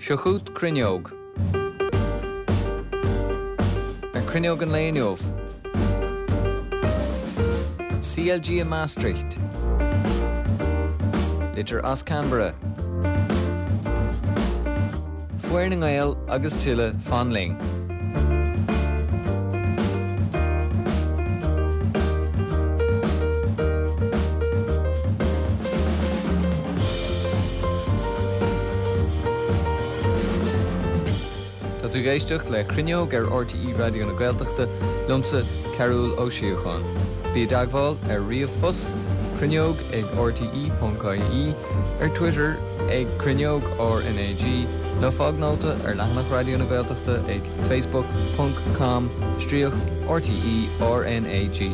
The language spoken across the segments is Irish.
Seo chugat Cruinneog. Ar Cruinneog an lae inniu. CLG i Maastricht. Litir as Canberra. Foireann na nGael agus tuilleadh, fan linn. Tá tú ag éisteacht le Cruinneog ar RTÉ Raidió na Gaeltachta, liomsa, Cearúll Ó Síocháin. Bí i dteagmháil ar ríomhphost, cruinneog ag rte.ie, ar Twitter ag Cruinneog RnaG, nó fág nóta ar leathanach Raidió na Gaeltachta ag facebook ponc com stríoc RTÉ RnaG.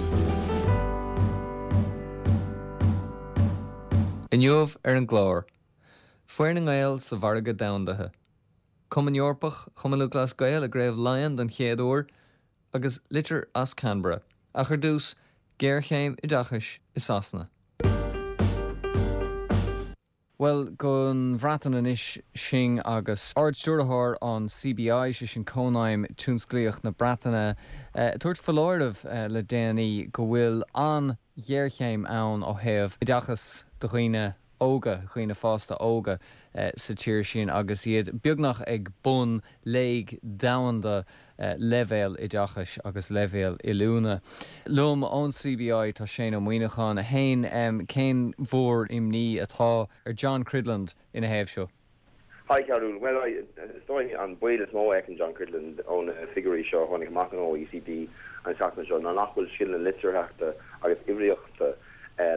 Inniu ar an gclár, Foireann na nGael sa mhargadh domhandaithe, Cumann Eorpach Chumann Lúthchleas Gael i gCraobh Laighean don chéad uair, agus litir as Canberra. Ach ar dtús, géarchéim oideachais i Sasana. Bhuel, don Bhreatain anois sinn agus Ard-Stiúrthóir an CBI, sé sin Cónaidhm Tionsclaíoch na Breataine, ag tabhairt foláireamh le déanaí go bhfuil an-ghéarchéim ann ó thaobh oideachas do dhaoine óga, dhaoine fásta óga sa tír sin agus iad beagnach ag bun léig domhanda leibhéal oideachais agus leibhéal oiliúna. Liom ón CBI tá Shane Ó Muíneacháin. A Shéain, cén mhór-imní atá ar John Cridland ina thaobh seo? Hi Cearúll. Bhuel, is dóigh an baol is mó a fheiceann John Cridland ó na figiúirí seo a tháinig amach ón OECD an tseachtain seo ná nach bhfuil scileanna litearthachta agus uimhríochta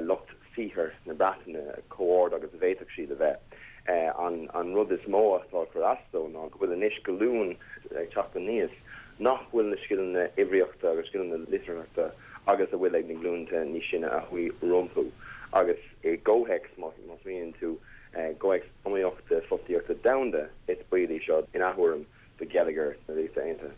lucht saothair na Breataine chomh ard agus a bhféadfadh siad a bheith. An rud is mó atá ag cur as dó ná go bhfuil anois glúin ag teacht aníos nach bhfuil na scileanna uimhríochta agus scileanna litearthachta agus a bhfuil ag na glúnta níos sine a chuaigh rompu. Agus i gcomhthéacs, má smaoiníonn tú, gcomhthéacs iomaíochta fostaíochta domhanda, is baol í seo ina thuairim. do gheilleagar na Ríochta Aontaithe.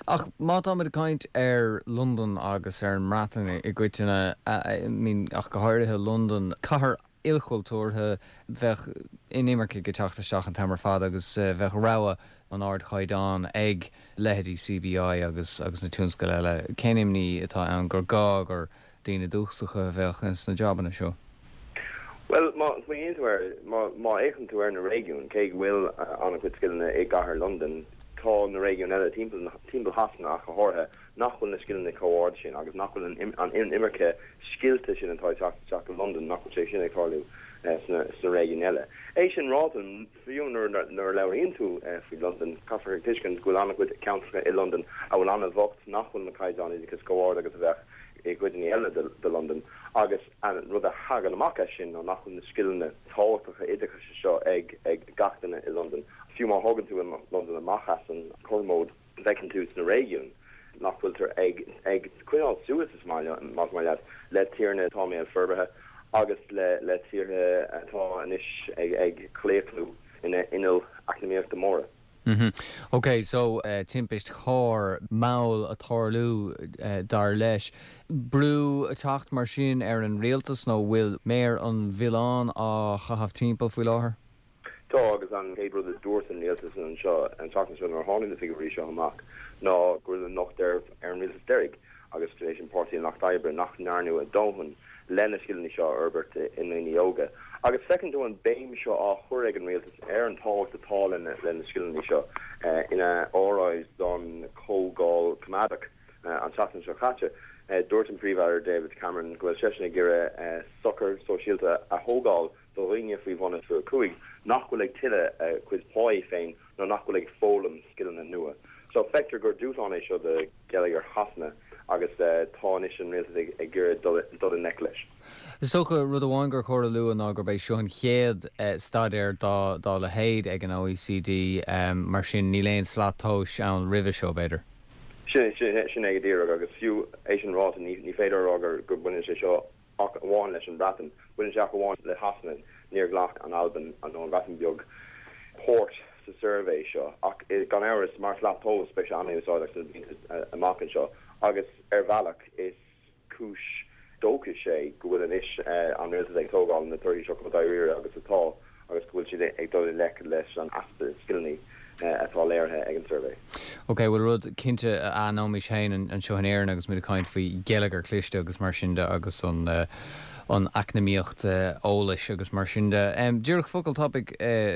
Ach má táimid ag caint ar Londain agus ar an mBreatain i gcoitinne, I mean, ach go háirithe Londain, cathair ilchultúrtha, bheadh inimircigh ag teacht isteach an t-am ar fad agus bheadh rogha an ardchaighdeáin ag leithéidí CBI agus agus na tionscail eile. Cén imní atá ann gur gá gur daoine dúchasacha a bheadh ins na jabanna seo? Bhuel, má smaoiníonn tú air, má fhéachann tú ar na réigiúin, cé go bhfuil an-chuid scileanna i gcathair Londan, tá na réigiúin eile timpeall, timpeall Shasana ach go háirithe, nach bhfuil na scileanna chomh ard sin agus nach bhfuil an inimirce scilte sin atá ag teacht isteach go Londain, nach bhfuil sé sin ag tarlú sna réigiúin eile. É sin ráite, Fiú nuair a labhraíonn tú faoi Londain, caithfear a thuiscint go bhfuil an-chuid ceantracha i Londain a bhfuil an-bhocht, nach bhfuil na caighdeáin oideachais chomh ard agus a bheadh i gcuideanna eile de Londain agus an rud a thagann amach as sin ná nach bhfuil na scileanna tábhachtacha oideachais seo ag gach duine i Londain. Fiú má thógann tú Londain amach as an chothromóid, bhfeiceann tú sna réigiúin nach bhfuiltear ag ag coinneáil suas, is maith, más maith leat, le tíortha atá i mbéal forbartha agus le le tíortha atá anois ag ag claochlú ina innill eacnamaíochta móra. Ok, so timpist chairr mall ag tarlú dar leis. Brú ag teacht mar sin ar an rialtas nó bhfuil méar an mhilleáin á chaitheamh timpeall faoi láthair? Tá, agus an chéad rud a dúirt an rialtas anseo an tseachtain seo nuair a tháinig na figiúirí seo amach ná go raibh an locht ar an rialtas deiridh agus tar éis an Páirtí an Lucht Oibre nach ndearnadh a ndóthain le na scileanna seo a fhorbairt i ndaoine óga. Agus feiceann tú an béim seo á chur ag an rialtas ar an tábhacht atá le na scileanna seo ina óráid don Chomhdháil Choimeádach an tseachtain seo caite. Dúirt an Príomh-Aire David Cameron go bhfuil seisean ag iarraidh sochar sóisialta a thógáil do dhaoine faoi bhun 25 nach bhfuil ag tuilleamh a gcuid páí féin nó nach bhfuil ag foghlaim scileanna nua. So feictear gur dúshlán é seo do gheilleagar Shasana agus tá anois an rialtas ag iarraidh dul i ngleic leis. Is dócha rud amháin gur chóir a lua ná gurb é seo an chéad staidéar dá leithéid ag an OECD, mar sin níl aon slat tomhais ann roimhe seo, b'fhéidir. Sin é go díreach agus fiú é sin ráite ní féidir a rá gur baineann sé seo ach amháin leis an Bhreatain. Baineann sé ach amháin le Shasana. Níor ghlac an Albain nó an Bhreatain Bheag páirt sa suirbhé seo. Ach gan amhras, mar shlat tomhais, beidh sé an-úsáideach sna blianta amach anseo. Agus ar bhealach, is cúis dóchais é go bhfuil anois an rialtas ag tógáil na torthaí seo chomh dáiríre agus atá agus go bhfuil siad ag. ag dul i ngleic leis an easpa scileanna atá léirithe ag an suirbhé. Ok, bhuel rud cinnte a aithneoimis féin anseo in Éirinn agus muid ag caint faoi gheilleagar cliste agus mar sin de agus an an eacnamaíocht eolais agus mar sin de. Díreach focal tapaidh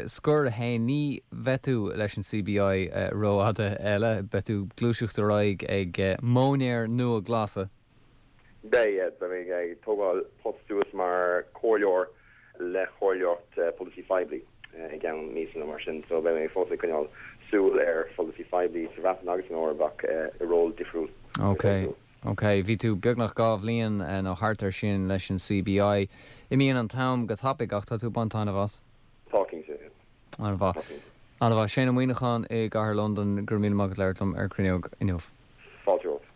scoir a Shéain, ní bheidh tú leis an CBI rófhada eile, beidh tú ag gluaiseacht ar aghaidh ag móinéir nua glasa. Beidh, yeah, beidh mé ag tógáil post suas mar chomhairleoir le Comhairleoireacht Polasaí Phoiblí i gceann míosa nó mar sin, so beidh mé fós ag coinneáil súil ar pholasaí phoiblí sa Bhreatain agus san Eoraip ach i ról difriúil. Ok, ok. Bhí tú beagnach 2 bhliain nó thart ar sin leis an CBI. Imíonn an t-am go tapaidh ach tá tú ag baint taitneamh as? Tá, cinnte. An-mhaith. An-mhaith. Séan Ó Muíneacháin i gCathair Londan, go raibh míle maith agat labhairt liom ar Cruinneog inniu. Fáilte romhat.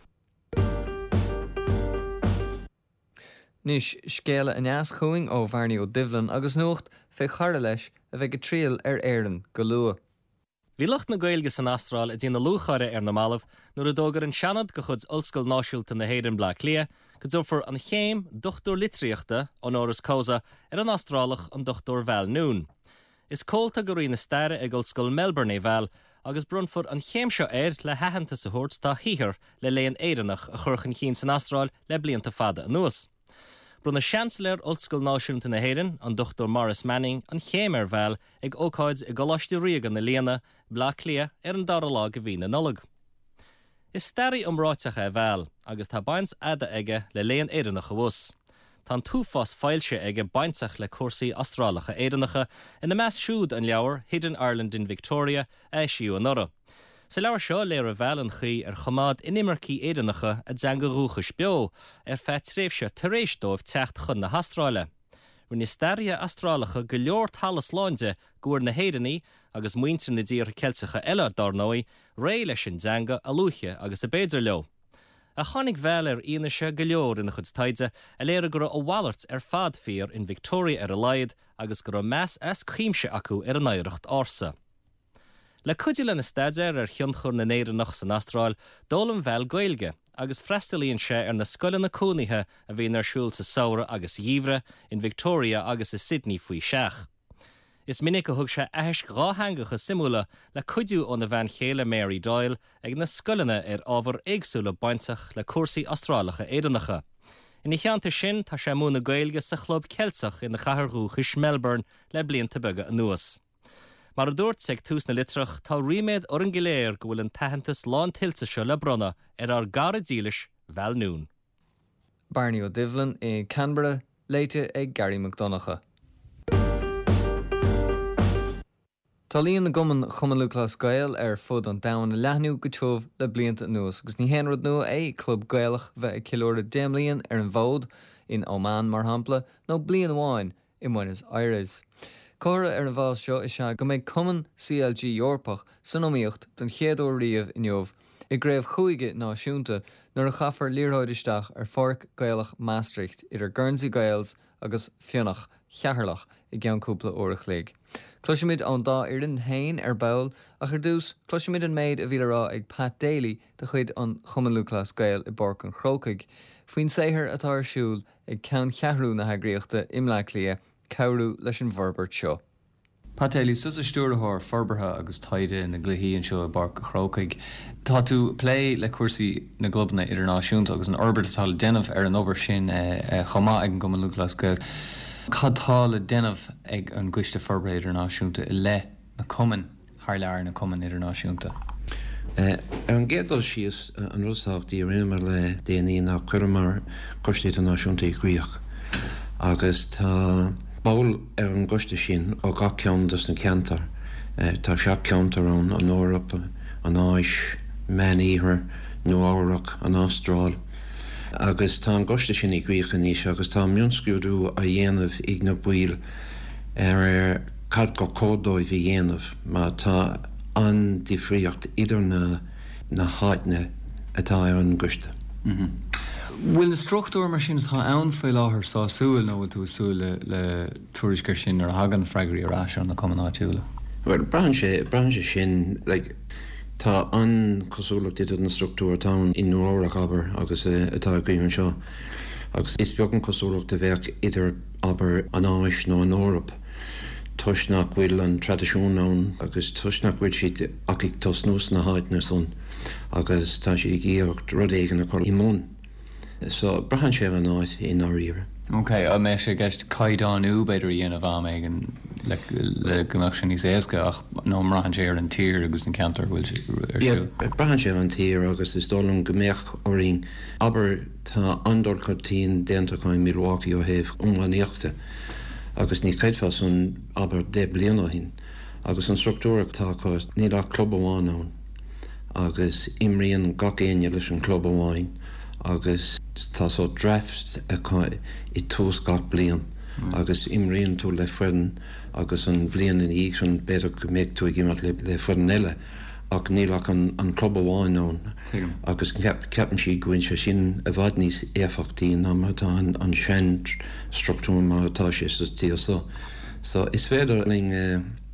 Anois, scéala aneas chugainn ó Bhearnaí Ó Doibhlin agus nuacht fé chara leis a bheidh ag triall ar Éirinn go luath. Bhí lucht na Gaeilge san Astráil ag déanamh lúcháire ar na mallaibh nuair a d'fhógair an Seanad de chuid Ollscoil Náisiúnta na hÉireann Bleá Cliath go dtabharfar an chéim Dochtúir Litríochta, honoris causa, ar an Astrálach an Dr Val Noone. Is comhalta de Roinn na Staire ag Ollscoil Melbourne é Val agus bronnfar an chéim seo air le haitheantas a thabhairt dá shaothar le léann Éireannach a chur chun cinn san Astráil le blianta fada anuas. Bronnadh Seansailéir Ollscoil Náisiúnta na hÉireann, an Dr Maurice Manning, an chéim ar Val ag ócáid i gColáiste Ríoga na Lianna, Bleá Cliath, ar an dara lá de mhí na Nollag. Is staraí iomráiteach é Val agus tá baint fhada aige le léann Éireannach abhus. Tá an t-uafás foilsithe aige bainteach le cúrsaí Astrálacha Éireannacha, ina measc siúd an leabhar Hidden Ireland in Victoria a eisíodh anuraidh. Sa leabhar seo, léirigh Val an chaoi ar choimeád inimircigh Éireannacha a dteanga dhúchais beo ar feadh tréimhse tar éis dóibh teacht chun na hAstráile. Rinne staraithe Astrálacha go leor talas lán de go bhfuair na hÉireannaigh, agus muintir na dtíortha Ceilteacha eile, dár ndóigh, réidh leis an dteanga a luaithe agus ab fhéidir leo. Ach tháinig Val ar fhianaise go leor ina chuid taighde a léirigh go raibh a mhalairt ar fad fíor in Victoria ar a laghad agus go raibh meas as cuimse acu ar a n-oidhreacht ársa. Le cuidiú lena staidéar ar thionchar na nÉireannach san Astráil, d'fhoghlaim Val Gaeilge agus freastalaíonn sé ar na scoileanna cónaithe a bhíonn ar siúl sa samhradh agus sa gheimhreadh in Victoria agus i Sydney faoi seach. Is minic a thug sé aithisc dhátheangacha suimiúla le cuidiú óna bhean chéile Mary Doyle ag na scoileanna ar ábhair éagsúla bainteach le cúrsaí Astrálacha Éireannacha. Ina theannta sin, tá sé ag múineadh Gaeilge sa Chlub Ceilteach ina chathair dhúchais Melbourne le blianta beaga anuas. Mar a dúrt ag tús na litreach, tá ríméad orainn go léir go bhfuil an t-aitheantas lántuillte seo le bronnadh ar ár gcara dílis, Val Noone. Bearnaí Ó Doibhlin i Canberra, léite ag Garry Mac Donncha. Tá líon na gcumann Chumann Lúthchleas Gael ar fud an domhain ag leathnú go tiubh le blianta anuas agus ní haon rud nua é club Gaelach bheith ag ceiliúradh 10 mbliain ar an bhfód, in Oman mar shampla, nó bliain amháin i mBuenos Aires. Comhartha ar an bhfás seo is ea go mbeidh cumann CLG Eorpach san iomaíocht don chéad uair riamh inniu i gcraobh chúige náisiúnta nuair a chaithfear liathróid isteach ar Pháirc Ghaelach Maastricht idir Guernsey Gaels agus Fionach Cheatharlach i gceann cúpla uair a chloig. Cloisfimid ón dá fhoireann féin ar ball ach ar dtús cloisfimid an méid a bhí le rá ag Pat Daly de chuid an Chumann Lúthchleas Gael i bPáirc an Chrócaigh faoin saothar atá ar siúl ag ceanncheathrú na heagraíochta i mBleá Cliath cabhrú leis an bhforbairt seo. Pat Daly, tusa Stiúrthóir Forbartha agus Taighde na gCluichí anseo i bPáirc an Chrócaigh. Tá tú ag plé le cúrsaí na gclubanna idirnáisiúnta agus an fhorbairt atá le déanamh ar an obair sin chomh maith ag an gCumann Lúthchleas Gael. Cad tá le déanamh ag an gCoiste Forbartha Idirnáisiúnta i leith na cumainn? thar lear, na cumainn idirnáisiúnta. Ar an gcéad dul síos, an rud is tábhachtaí a rinneamar le déanaí ná chuireamar Coiste Idirnáisiúnta i gcrích agus tá ball ar an gcoiste sin ó gach ceann dos na ceantair. Tá seacht ceantar ann, an Eoraip, an Áis, Meán-Iarthar, Nua Eabhrac, an Astráil. Agus tá an gcoiste sin i gcrích anois agus tá mionscrúdú á dhéanamh ag na baill ar cad gur cóir dóibh a dhéanamh mar tá an-difríocht idir na na háiteanna atá ar an gcoiste. Bhfuil na struchtúir mar sin atá ann faoi láthair sásúil nó bhfuil tú ag súil le tuairisc air sin nuair a thagann freagraí ar ais ó na cumainn áitiúla? Bhuel, braitheann sé, braitheann sé sin, like, tá an-chosúlacht idir na struchtúir atá ann i Nua Eabhrac, abair, agus atá againn anseo agus is beag an chosúlacht a bheadh idir, abair, an Áis nó an Eoraip. Toisc nach bhfuil an traidisiún ann agus toisc nach bhfuil siad ach ag tosnú sna háiteanna san agus tá siad ag iarracht rud éigin a chur i mbun. So, braitheann sé ar an áit i ndáiríre. Ok, an mbeadh sé i gceist caighdeánú b'fhéidir a dhéanamh am éigin le le go mbeadh sé níos éasca ach nó an mbraitheann sé ar an tír agus an ceantar a bhfuil sé ar siúl? Yeah, braitheann sé ar an tír agus is dóigh liom go mbeadh orainn, abair, Tá an-dul chun cinn déanta acu i Milwaukee ó thaobh iománaíochta agus ní chreidfeá san, abair, 10 bliana ó shin. Agus an struchtúr atá acu, níl ach club amháin ann agus imríonn gach éinne leis an chlub amháin agus tá sórt draft acu i tús gach bliain agus imríonn tú le foireann agus an bhliain ina dhiaidh sin b'fhéidir go mbeidh tú ag imirt le foireann eile. ach níl ach an club amháin ann agus ceapann siad go bhfuil sé sin i bhfad níos éifeachtaí ná mar atá an sean struchtúr mar atá sé sa tír seo. So is féidir linn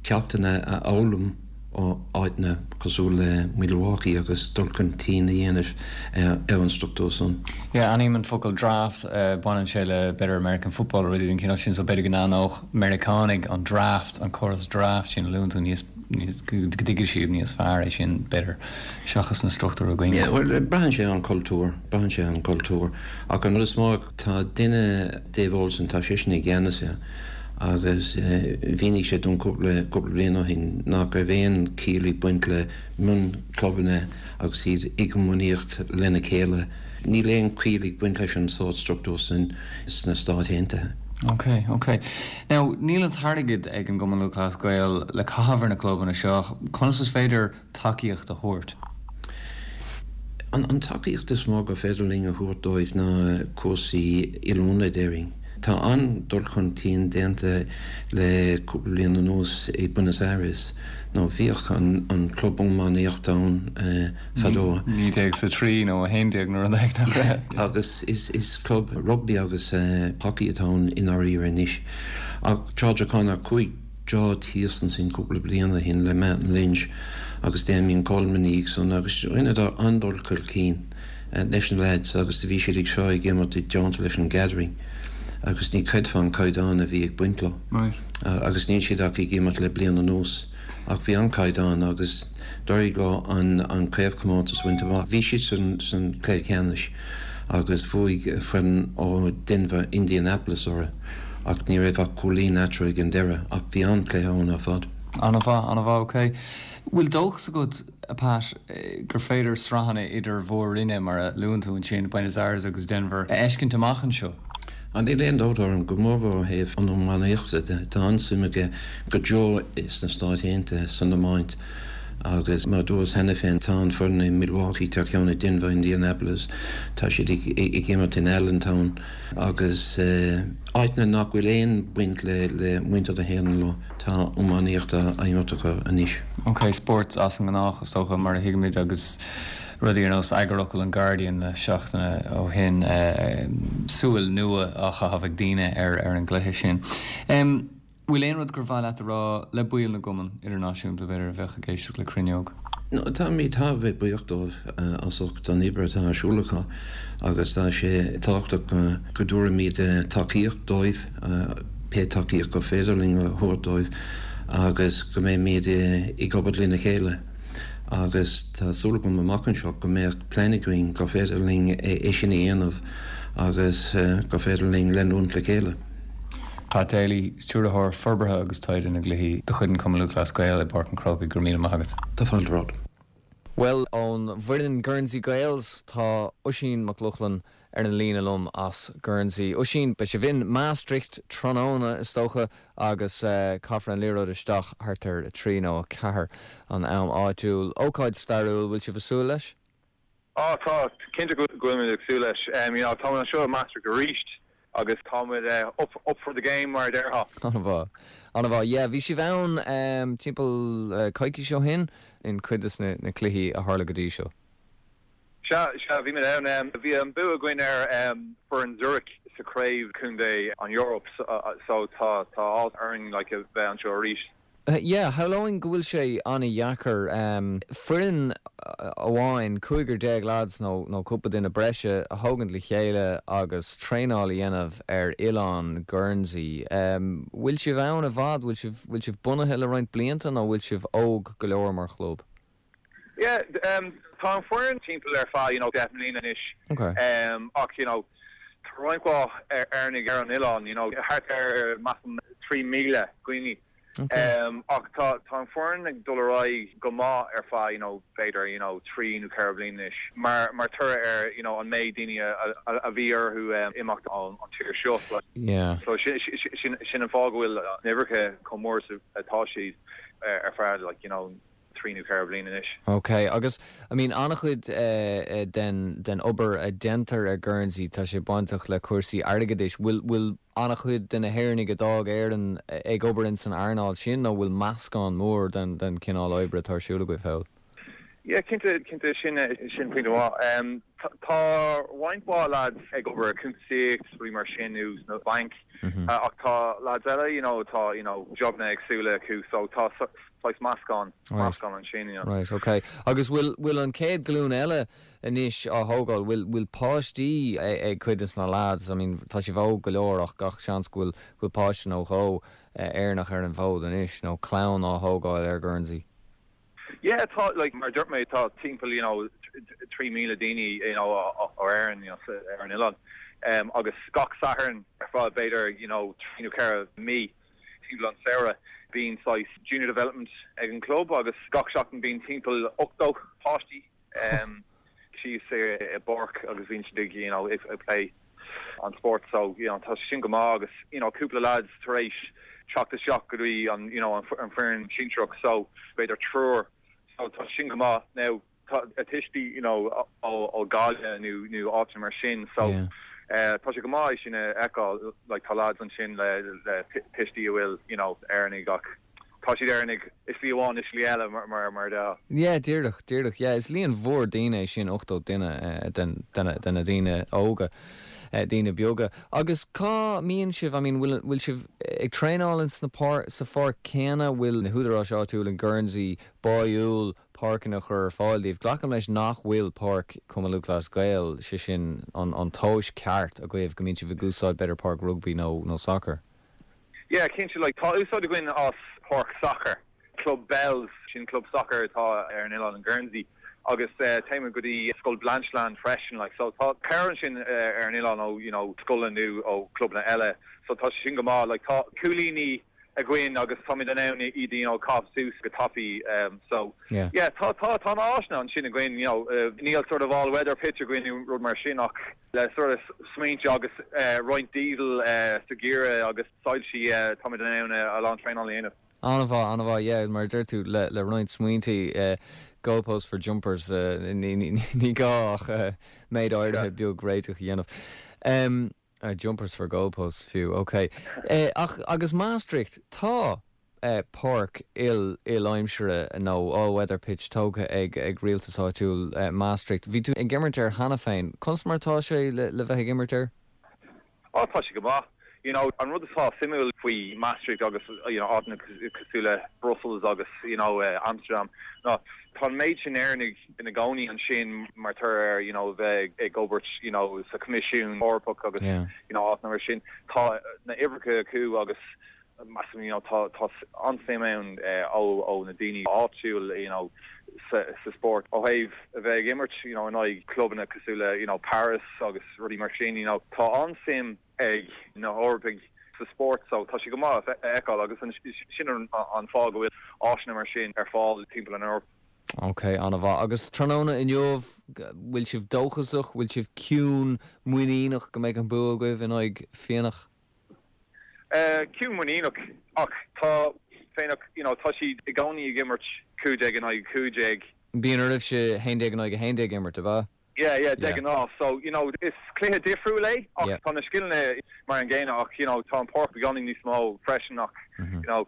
ceachtanna a fhoghlaim ó áiteanna cosúil le Milwaukee agus dul chun cinn a dhéanamh ar an struchtúr san. Yeah, aithním an focal draft, baineann sé le b'fhéidir American football nó rudaí den chineál sin so b'fhéidir go n-aithneodh Meiriceánaigh an draft, an córas draft sin a luann tú níos go dtuigfidh siad níos fearr é sin, b'fhéidir, seachas na struchtúir againne. Yeah, bhuel, braitheann sé ar an chultúr, braitheann sé ar an chultúr. Ach an rud is mó, tá duine, Dave Olson, tá seisean i gceannas air agus mhínigh sé dom cúpla, cúpla bliain ó shin nach raibh aon chiall ag baint le mionchlubanna agus iad ag iomaíocht lena chéile. Níl aon chiall ag baint leis an sórt struchtúr sin sna Stáit Aontaithe. Ok, ok. Now, níl an t-airgead ag an gCumann Lúthchleas Gael le caitheamh ar na clubanna seo ach conas is féidir tacaíocht a thabhairt? An tacaíocht is mó gur féidir linn a thabhairt dóibh ná cúrsaí oiliúna, déarfainn. Tá an-dul chun cinn déanta le cúpla bliain anuas i Buenos Aires. Nó bhíodh an club iománaíochta ann fadó. 1903 nó 11 nó rud éigin nach raibh? Agus is club rugbaí agus hockey atá ann i ndáiríre anois. Ach George O'Connor, chuaigh George thíos ansin cúpla bliain ó shin le Martin Lynch agus Damien Coleman iad san agus rinneadar an-dul chun cinn leis na leaids agus do bhí siad ag seo ag imirt i dteannta leis an Gathering agus ní chreidfeá an caighdeán a bhí ag baint leo. Agus níl siad ach ag imirt le bliain anuas. Ach bhí an-chaighdeán agus d'éirigh leo an craobhchomórtas a bhaint amach. Bhí siad san chluiche ceannais agus bhuaigh foireann ó Denver, Indianapolis orthu ach ní raibh ach cúilín eatarthu ag an deireadh ach bhí an-chluiche ann ar fad. An-mhaith, an-mhaith, ok. Bhfuil dóchas agat, a Pat, gur féidir sraitheanna idir mhór-roinne, mar a luann tú ansin, Buenos Aires agus Denver, a fheiscint amach anseo? Á, níl aon dabht orm, go mórmhór ó thaobh an iománaíochta de. Tá an-suim aige go deo sna Stáit Aontaithe san iomáint agus mar a dúras cheana féin, tá an foireann i Milwaukee, tá ceann i Denver, Indianapolis, tá siad ag imirt in Allentown agus áiteanna nach bhfuil aon baint le muintir na hÉireann leo, tá iománaíocht á imirt acu anois. Ok, spórt as an ngnách is dócha, mar a thuigimid agus. Rudaí ar nós eagarfhocal an Guardian le seachtaine ó shin, súil nua á chaitheamh ag daoine ar an gcluiche sin. Bhfuil aon rud gur mhaith leat a rá le baill na gcumann idirnáisiúnta, b'fhéidir, a bheadh ag éisteacht le Cruinneog? Táimid thar a bheith buíoch dóibh as ucht an obair atá ar siúl acu agus tá sé tábhachtach go dtabharfaimid tacaíocht dóibh, pé tacaíocht gur féidir linn a thabhairt dóibh agus go mbeimid ag obair lena chéile. agus tá súil agam amach anseo go mbeadh plean againn gur féidir linn é sin a dhéanamh agus gur féidir linn leanúint le chéile. Pat Daly, Stiúrthóir Forbartha agus Taighde na gCluichí de chuid an Chumainn Lúthchleas Gael i bPáirc an Chrócaigh, go raibh míle maith agat. Tá fáilte romhat. Bhuel, ón bhfoireann Guernsey Gaels, tá Oisín Mac Lochlainn ar an líne liom as Guernsey. Oisín, beidh sibh in Maastricht tráthnóna, is dócha, agus caithfear an liathróid isteach thart ar 3 nó 4 an am áitiúil. Ócáid stairiúil, bhfuil sibh ag súil leis? Á, tá, cinnte go bhfuilimid ag súil leis. You know, táimid anseo i Maastricht arís agus táimid up, up for the game, mar a déarfá. An-mhaith, an-mhaith. Yeah, bhí sibh ann timpeall coicís ó shin in cuid de na cluichí a tharla go dtí seo. Sea, sea, bhí muid ann. Bhí an bua againn ar foireann Zurich sa chraobh contae an Eoraip so tá tá áthas orainn like a bheith anseo arís. Yeah, shamhlóinn go bhfuil sé an-dheacair foireann amháin, 15 lads nó nó cúpla duine breise, a thógaint le chéile agus traenáil a dhéanamh ar oileán Guernsey. Bhfuil sibh ann i bhfad? Bhfuil sibh bhfuil sibh bunaithe le roinnt blianta nó bhfuil sibh óg go leor mar chlub? Yeah, tá an foireann timpeall ar feadh, you know, 10 mbliana anois. Okay. Ach, you know, tá roinnt mhaith Éireannaigh ar an oileán, you know, thart ar, measaim, 3,000 daoine. Ach tá tá an foireann ag dul ar aghaidh go maith ar feadh you know b'fhéidir you know trí nó ceithre bliana anois mar mar toradh ar you know an méid daoine a a bhí orthu imeacht ón an tír seo. Yeah. So sin sin sin an fáth go bhfuil na huimhreacha chomh mór is atá siad ar feadh like you know trí nó ceithre bliana anois. Ok, agus I mean an-chuid den den obair a déantar ar Guernsey tá sé bainteach le cúrsaí airgeadais. Bhfuil bhfuil an-chuid de na hÉireannaigh a d'fhág Éirinn ag obair in san earnáil sin nó bhfuil meascán mór den den chineál oibre atá ar siúl agaibh thall? Yeah, cinnte, cinnte, sin sin pointe mhaith. Tá roinnt mhaith lads ag obair i cuntasaíocht, rudaí mar sin nó sna bainc ach tá lads eile you know atá you know jobanna éagsúla acu so tá saghas meascán, meascán ansin, you know. Right, ok. Agus bhfuil, bhfuil an chéad ghlúin eile anois á thógáil, bhfuil, bhfuil páistí ag cuid des na lads, I mean tá sibh óg go leor ach gach seans go bhfuil, go bhfuil páiste nó dhó Éireannach ar an bhfód anois, nó clann á thógáil ar Guernsey? Yeah, tá, like, mar a dúirt mé, tá timpeall, you know, 3,000 daoine, you know, ó Éirinn, you know, ar an oileán. Agus gach Satharn ar feadh b'fhéidir, you know, trí nó ceithre mí, Timpeall an samhradh bíonn saghas junior development ag an club agus gach seachtain bíonn timpeall 80 páistí síos i bpáirc agus bíonn siad ag you know ag plé an spórt so you know tá sé sin go maith agus you know cúpla lads tar éis teacht isteach go dtí an you know an foireann sinsearach so b'fhéidir triúr so tá sé sin go maith. Now tá a tuistí you know ó Ghaillimh nó nó áiteanna mar sin so tá sé go maith é sin a fheiceáil like tá lads ansin le le tuistí a bhfuil you know Éireannaigh ach tá siad Éireannaigh i slí amháin i slí eile mar mar mar a Yeah díreach díreach yeah is líon mhór daoine é sin 80 duine den den de na daoine óga daoine beaga agus cá mbíonn sibh I mean bhfuil bhfuil sibh ag traenáil ins na páir sa pháirc céanna bhfuil na húdaráis áitiúil in Guernsey báúil páirceanna a chur ar fáil daoibh. Glacaim leis nach bhfuil páirc Chumann Lúthchleas Gael, sé sin an tomhais ceart agaibh go mbíonn sibh ag úsáid b'fhéidir páirc rugbaí nó nó sacair. Yeah, cinnte, like tá úsáid againn as páirc sacair, Club Bells, sin club sacair atá ar an oileán in Guernsey agus téimid go dtí Scoil Blanchelande freisin, like so tá cabhair ansin ar an oileán ó you know scoileanna nó ó clubanna eile so tá sé sin go maith, like tá cúilíní againn agus táimid in ann iad you know caitheamh suas go tapaidh so yeah tá tá tá na áiseanna ansin againn you know níl sort of all weather pitch againn nó rud mar sin ach le sort of smaointe agus roinnt diesel sa gheimhreadh agus soilsí táimid in ann a lán traenáil a dhéanamh. An-mhaith, an-mhaith, yeah, mar a deir tú, le le roinnt smaointe, goalposts for jumpers, ní ní gá ach méid áirithe beag réiteach a dhéanamh. Jumpers for goalposts fiú, ok. Ach, agus Maastricht, tá páirc il, il-aimsire nó all-weather pitch tógtha ag, ag rialtas áitiúil Maastricht. Bhí tú ag imirt air cheana féin. Conas mar atá sé le, le bheith ag imirt air? Á, tá sé go maith. You know, an rud atá suimiúil faoi Maastricht agus, you know, áiteanna cosúil le Brussels agus, you know, Amsterdam ná tá an méid sin Éireannaigh ina gcónaí ansin mar toradh ar, you know, bheith ag obair, you know, sa Choimisiún Eorpach agus, you know, áiteanna mar sin. Tá na huimhreacha acu agus measaim, you know, tá, tá an-suim ann ó, ó na daoine áitiúil, you know, sa, sa spórt. Ó thaobh a bheith ag imirt, you know, in aghaidh clubanna cosúil le, you know, Paris agus rudaí mar sin, you know, tá an-suim ag na hEorpaigh sa spórt so tá sé go maith a fheiceáil agus sin an fáth go bhfuil áiseanna mar sin ar fáil timpeall an Eoraip. Ok, an-mhaith. Agus tráthnóna inniu, bhfuil sibh dóchasach, bhfuil sibh ciúin muiníneach go mbeidh an bua agaibh in aghaidh Fíonach? Ciúin muiníneach ach tá Fíonach, you know, tá siad i gcónaí ag imirt 15 in aghaidh 15. Bíonn oraibhse 11 in aghaidh 11 imirt, ab ea? Yeah, yeah, de ghnáth. So, you know, is cluiche difriúil é ach tá na scileanna mar an gcéanna ach, you know, tá an páirc beagáinín níos mó freisin ach, you know,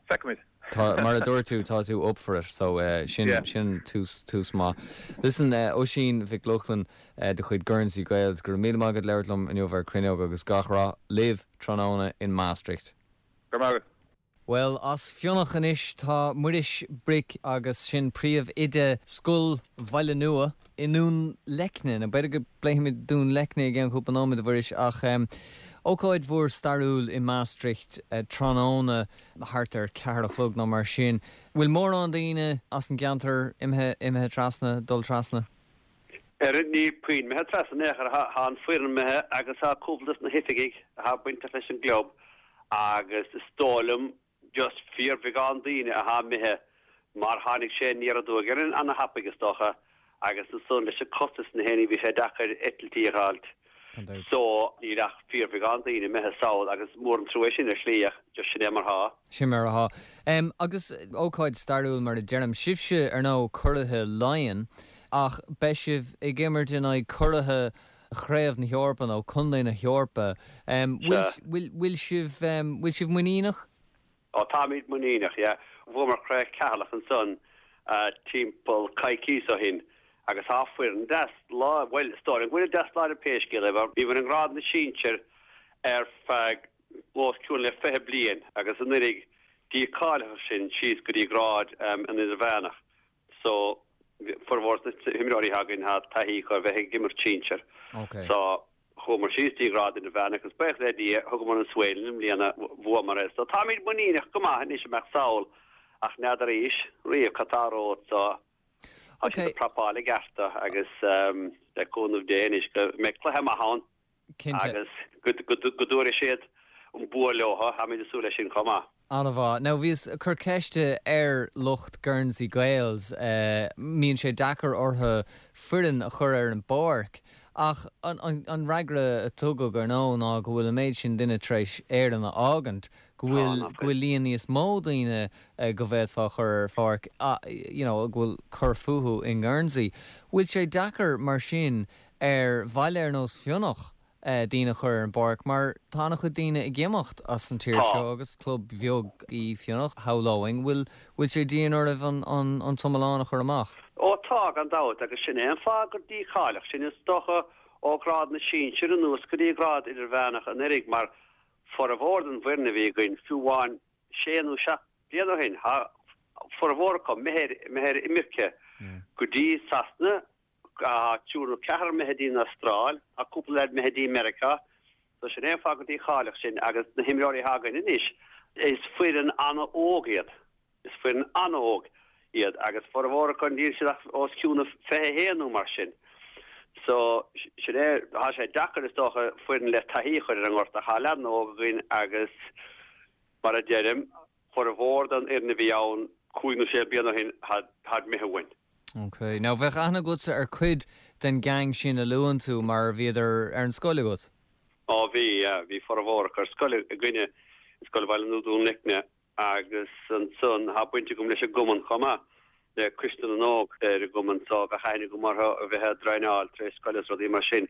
feicfimid. Tá, mar a dúirt tú, tá tú up for it, so sin, sin tús, tús maith. Listen, Oisín Mhic Lochlainn de chuid Guernsey Gaels, go raibh míle maith agat labhairt liom inniu ar Cruinneog agus gach rath libh tráthnóna in Maastricht. Go raibh maith agat. Bhuel, as Fionach anois tá Muiris Bric agus sin príomh-oide Scoil Bhaile Nua i nDún Leicne. Nó b'fhéidir go bpléifimid Dún Leicne i gceann cúpla nóiméad, a Mhuiris, ach ócáid mhór stairiúil i Maastricht tráthnóna thart ar ceathair a chlog nó mar sin. Bhfuil mórán daoine as an gceantar imithe, imithe trasna, dul trasna? Ar níl puinn imithe trasna in aon chor. Tá an foireann imithe agus tá cúpla dos na hoifigigh atá bainteach leis an gclub agus is dóigh liom just fíorbheagán daoine atá imithe mar tháinig sé aniar aduaidh orainn ana-thapaidh is dócha agus ansan leis an costas na héiní bhí sé deacair eitiltí a dh'fháilt so níl ach fíorbheagán daoine imithe sall agus mór an trua é sin ar shlí ach just sin é mar thá. Sin mar athá. Agus ócáid stairiúil mar a deirim. Sibhse ar ndóigh curaithe Laighean ach beidh sibh ag imirt in aghaidh curaithe Chraobh na hEorpa nó Contae na hEorpa. Bhfuil bhfuil sibh bhfuil sibh muiníneach? Ó táimid muiníneach, yeah. Bhuamar Craobh Cheatharlach ansan timpeall coicíos ó shin agus tá foireann deas lá, bhuel is dóigh liom go bhfuil deas láidir pé scéal é mar bhíomar i ngrád na sinsear ar feadh os cionn le 20 bliain agus anuraidh dícháilíodh sinn síos go dtí grád an idirmheánach. So formhór na himreoirí atá againn tá taithí acu ar bheith ag imirt sinsir. So chuamar síos dtí grád idirmheánach agus buíochas le Dia thugamar an svae linn i mbliana, bhuamar é. So táimid muiníneach go maith anois a mbeadh sall ach n'fheadar arís riamh cad tá romhat so tá siad ag prapáil i gceart agus le cúnamh Dé anois go mbeidh cluiche maith ann. Cinnte. Agus go dtabharfaidh siad an bua leo, táimid ag súil leis sin chomh maith. An-mhaith. Now bhíos ag cur ceiste ar lucht Guernsey Gaels, mbíonn sé deacair orthu foireann a chur ar an bpáirc, ach an fhreagra a tugadh, ar ndóigh, ná go bhfuil an méid sin duine tar éis Éirinn a fhágaint, go bhfuil, go bhfuil líon níos mó daoine go bhféadfá a chur ar pháirc, you know, go bhfuil cur fúthu i nGuernsey. Bhfuil sé deacair mar sin ar bhaile ar nós Fionach daoine a chur ar an bpáirc mar tá an-chuid daoine ag imeacht as an tír seo agus club bheag í Fionach, shamhlóinn. Bhfuil bhfuil sé dian oraibh an an an t-iomlán a chur amach? Ó tá, gan dabht, agus sin é an fáth gur dícháilíodh sinn is dócha ó ghrád na sinsear anuas go dtí grád idirmheánach anuraidh mar formhór den bhfoireann a bhí againn, fiú amháin sé nó seacht bliana ó shin, tá formhór acu imithe ar imirce go dtí Sasana, Tá triúr nó ceathrar imithe dtí an Astráil, tá cúpla leaid imithe dtí Meiriceá. So sin é an fáth gur dícháilíodh sinn agus na himreoirí atá againn anois, is foireann an-óg iad. Is foireann an-óg iad agus formhór acu níl siad ach os cionn 21 nó mar sin. So sin é, tá sé deacair is dócha foireann le taithí a chur ar an ngort ach tá leaideanna óga againn agus mar a deirim, Formhór den fhoireann a bhí ann cúig nó sé bliana ó shin, táid imithe uainn. Ok. Now, bheadh aithne agatsa ar cuid den gang sin a luann tú mar bhíodar ar an scoil agat? Ó bhí, yeah. Bhí formhór acu ar scoil againne, i Scoil Bhaile Nua Dún Leicne agus ansan tá baint agam leis an gcumann chomh maith, le Coiste na nÓg ar an gcumann so bheadh aithne agam orthu a bheith ag traenáil tar éis scoile is rudaí mar sin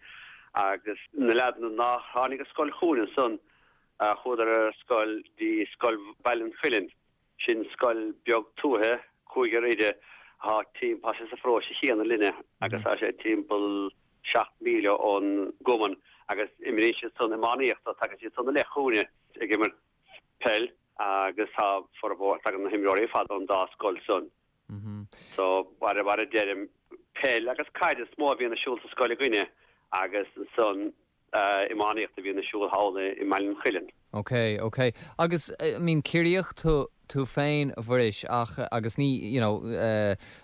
agus na leaideanna nár tháinig ar scoil chugainn ansan Chuadar ar scoil dtí Scoil Bhaile an Chuilinn. Sin scoil beag tuaithe, cúigear oide, atá timp, tá sé sa pharóiste chéanna linne agus tá sé timpeall 7 míle ón gcumann agus imríonn siad san iománaíocht, so tagann siad san i leith chugainne ag imirt peil agus tá formhór, tagann na himreoirí ar fad ón dá scoil san. So, mar a deirim, peil agus caid is mó a bhíonn ar siúl sa scoil againne agus ansan iománaíocht a bhíonn ar siúl thall i mBaile an Chuilinn. Ok, ok. Agus, I mean, Ciarraíoch tú, tú féin, a Mhuiris, ach, agus ní, you know,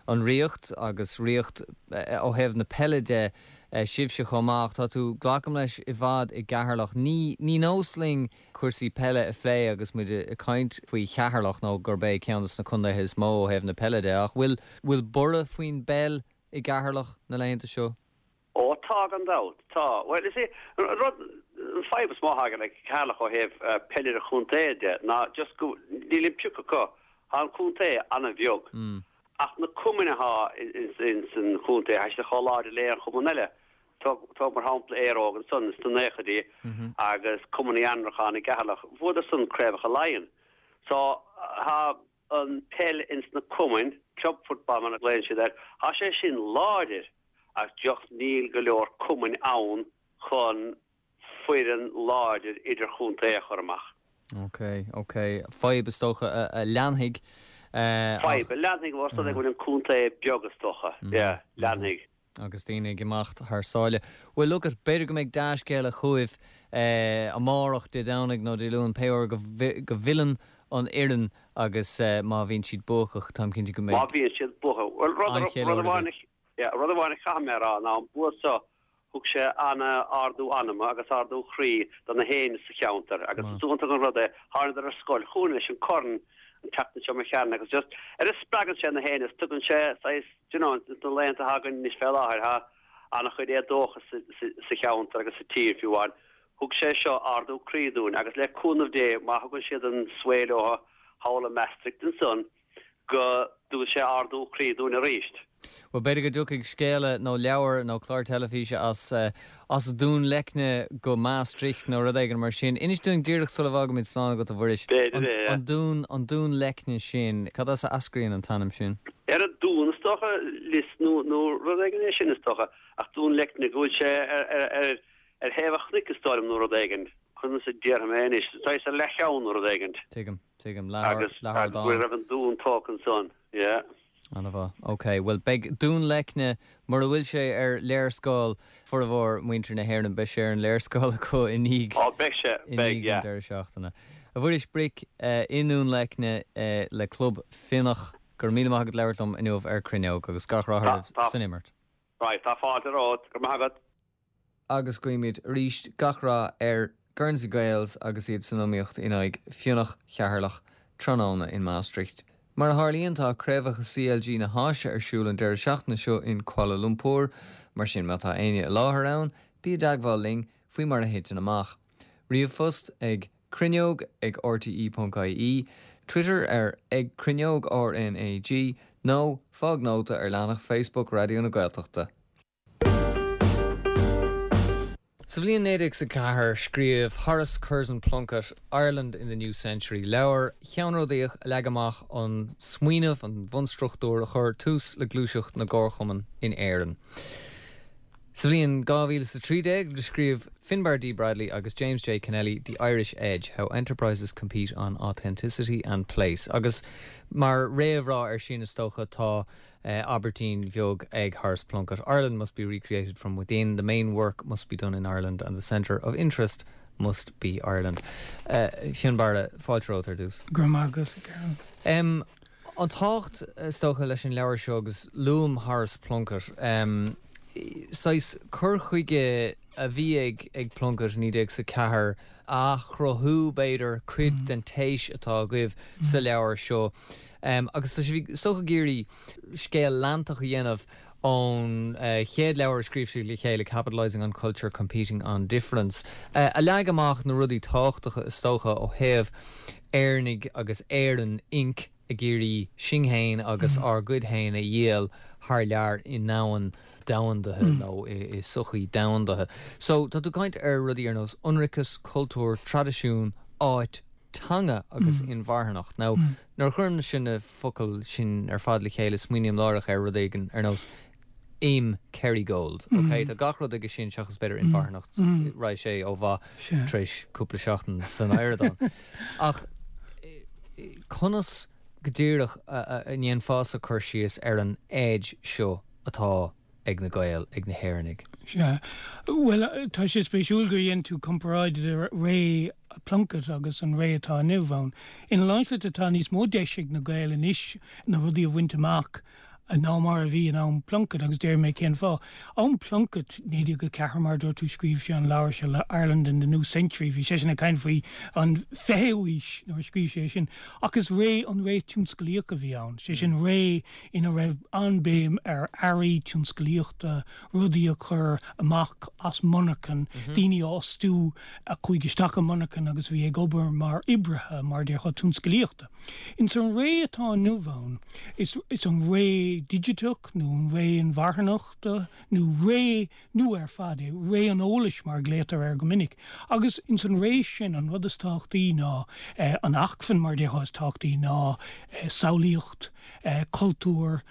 an Ríocht agus Ríocht ó thaobh na peile de, sibhse chomh maith, ach tá tú, glacaim leis, i bhfad i gCeatharlach. Ní, ní nós linn cúrsaí peile a phlé agus muid ag caint faoi Cheatharlach nó gurb é ceann de na contaetha is mó ó thaobh na peile de, ach bhfuil, bhfuil borradh faoin bpeil i gCeatharlach na laethanta seo? Ó tá, gan dabht. Tá. Bhuel, is é an rud, an fadhb is mó atá le Ceatharlach ó thaobh peil idir-chontae de ná just go, níl an pioc acu. Tá an contae an-bheag. Ach na cumainn atá ins an chontae, tá siad chomh láidir le aon chumann eile. Tóg, tóg mar shampla Éire Óg ansan ins na naochaidí agus Cumann Uí Annracháin i gCeatharlach, bhuadar san craobhacha Laighean. So, tá an peil ins na cumainn, club football mar a ghlaonn siad air, tá sé sin láidir. ach just níl go leor cumainn ann chun foireann láidir idirchontae a chur amach. Ok, ok. Fadhb is dócha a leanfaidh ach. Fadhb a leanfaidh ós rud é go bhfuil an contae beag is dócha. Yeah, leanfaidh. Agus daoine ag imeacht thar sáile. Bhuel, look it, b'fhéidir go mbeidh dea-scéala chugaibh amárach, Dé Domhnaigh nó Dé Luain, pé uair go bhfilleann an fhoireann agus má bhíonn siad buacach, táim cinnte go mbeidh. Má bhíonn siad buacach. Bhuel, rud amháin, yeah, rud amháin a chaithfidh mé a rá ná an bua seo, thug sé an-ardú anama agus ardú chroí do na héinne sa cheantar agus is iontach an rud é, thánadar ar scoil chugainn leis an corn an tseachtain seo imigh tharainn agus just, ar a spreagann sé na héinne is tugann sé saghas, do you know, ins na laethanta atá againn anois fé láthair tá an-chuid éadóchas sa cheantar agus sa tír fiú amháin. Thug sé seo ardú croí dúinn agus le cúnamh Dé má thugann siad an svae leo thall i Maastricht ansan, go dtugann sé ardú croí dúinn arís. Bhuel, b'fhéidir go dtiocfaidh scéala nó leabhar nó clár teilifíse as as Dún Leicne go Maastricht nó rud éigin mar sin. Inis dúinn díreach sula bhfágaimid slán agat, a Mhuiris, B'fhéidir é, yeah. an dún, an Dún Leicne sin, cad as a eascraíonn an t-ainm sin? Ar an dún, is dócha, lios nó nó rud éigin é sin, is dócha, ach Dún Leicne, go bhfuil sé ar ar ar ar thaobh an chnoic, is dóigh liom, nó rud éigin. Conas a déarfaidh mé anois, saghas ar leathcheann nó rud éigin. Tuigim. Tuigim. Agus go raibh an dún tógtha ansan. Yeah. Ana-mhaith. Ok. Bhuel, beidh Dún Leicne, mura bhfuil sé ar léarscáil formhór muintir na hÉireann, beidh sé ar an léarscáil acu i ndiaidh Ó, beidh sé. i Beidh, ndiaidh an yeah. deireadh seachtaine. A Mhuiris Bric, i nDún Leicne le Club Fionach, go raibh míle maith agat labhairt liom inniu ar Cruinneog agus gach rath oraibh Tá, tá. san imirt. Right, tá fáilte romhat. Go raibh maith agat. agus guímid arís gach rath ar Guernsey Gaels agus iad san iomaíocht in aghaidh Fionach Cheatharlach tráthnóna in Maastricht. Mar a tharlaíonn tá Craobhacha CLG na hÁise ar siúl an deireadh seachtaine seo in Kuala Lumpur, mar sin má tá éinne i láthair ann, bí i dteagmháil linn faoi mar a thiteann amach. Ríomhphost ag cruinneog ag rte.ie, Twitter ar ag cruinneog RnaG nó fág nóta ar leathanach Facebook Raidió na Gaeltachta. Sa bhliain 1904, scríobh Horace Curzon Plunkett Ireland in the New Century, leabhar cheannródaíoch a leag amach an smaoineamh, an bhunstruchtúr a chuir tús le gluaiseacht na gcomharchumann in Éirinn. Sa bhliain 2013, scríobh Finbarr D. Bradley agus James J. Kennelly The Irish Edge, How Enterprises Compete on Authenticity and Place agus mar réamhrá air sin, is dócha, tá Abairtín bheag ag Horace Plunkett, Ireland must be recreated from within, the main work must be done in Ireland and the centre of interest must be Ireland. Fionnbarra, fáilte romhat ar dtús. Go raibh maith agat, a Ciarán. An tábhacht, is dócha, leis an leabhar seo, agus luaim Horace Plunkett, saghas cur chuige a bhí ag ag Plunkett 1904 a athchruthú, b'fhéidir, cuid den téis atá agaibh sa leabhar seo. Agus tá sibh, is dócha, ag iarraidh scéal leantach a dhéanamh ón chéad leabhar a scríobh siad le chéile, Capitalising on Culture, Competing on Difference, a leag amach na rudaí tábhachtacha, is dócha, ó thaobh Éireannaigh agus Éireann Inc. ag iarraidh sinn féin agus ár gcuid féin a dhíol thar lear i ndomhan domhandaithe nó i sochaí domhandaithe. So, tá tú ag caint ar rudaí ar nós ionraiceas, cultúr, traidisiún, áit, teanga agus inmharthanacht. Now, nuair a chuirimse na focail sin ar fad le chéile, smaoiním láithreach ar rud éigin ar nós im Kerrygold. Ok, tá gach rud aige sin seachas b'fhéidir inmharthanacht, raghaidh sé ó mhaith tar éis cúpla seachtain san adhradán. Ach conas go díreach a ndéanfása cur síos ar an edge seo atá ag na Gaeil, ag na hÉireannaigh? Sea. Bhuel, tá sé spéisiúil gur dhein tú comparáid idir ré Plunkett agus an ré atá inniu ann. Ina lán slite tá níos mó deis ag na Gaeil anois na rudaí a bhaint amach ná mar a bhí in am Plunkett agus déarfaidh mé cén fáth. Am Plunkett, 1904 mar a dúirt tú, scríobh sé an leabhar seo Ireland in the New Century, bhí seisean ag caint faoi an fichiú haois nuair a scríobh sé sin. Ach is ré an ré tionsclaíoch a bhí ann, sé sin ré ina raibh an-bhéim ar earraí tionsclaíochta, rudaí a chur amach as monarchain, daoine a fhostú a chuaigh isteach i monarchain agus a bhí ag obair mar oibrithe, mar a déarfá, tionsclaíochta. Ins an ré atá inniu ann, is is an ré digiteach nó an ré inmharthanachta nó ré nua ar fad é, ré an eolais mar a ghlaotar air go minic. Agus ins an ré sin an rud is tábhachtaí ná an acmhainn mar a déarfá is tábhachtaí ná samhlaíocht, cultúr,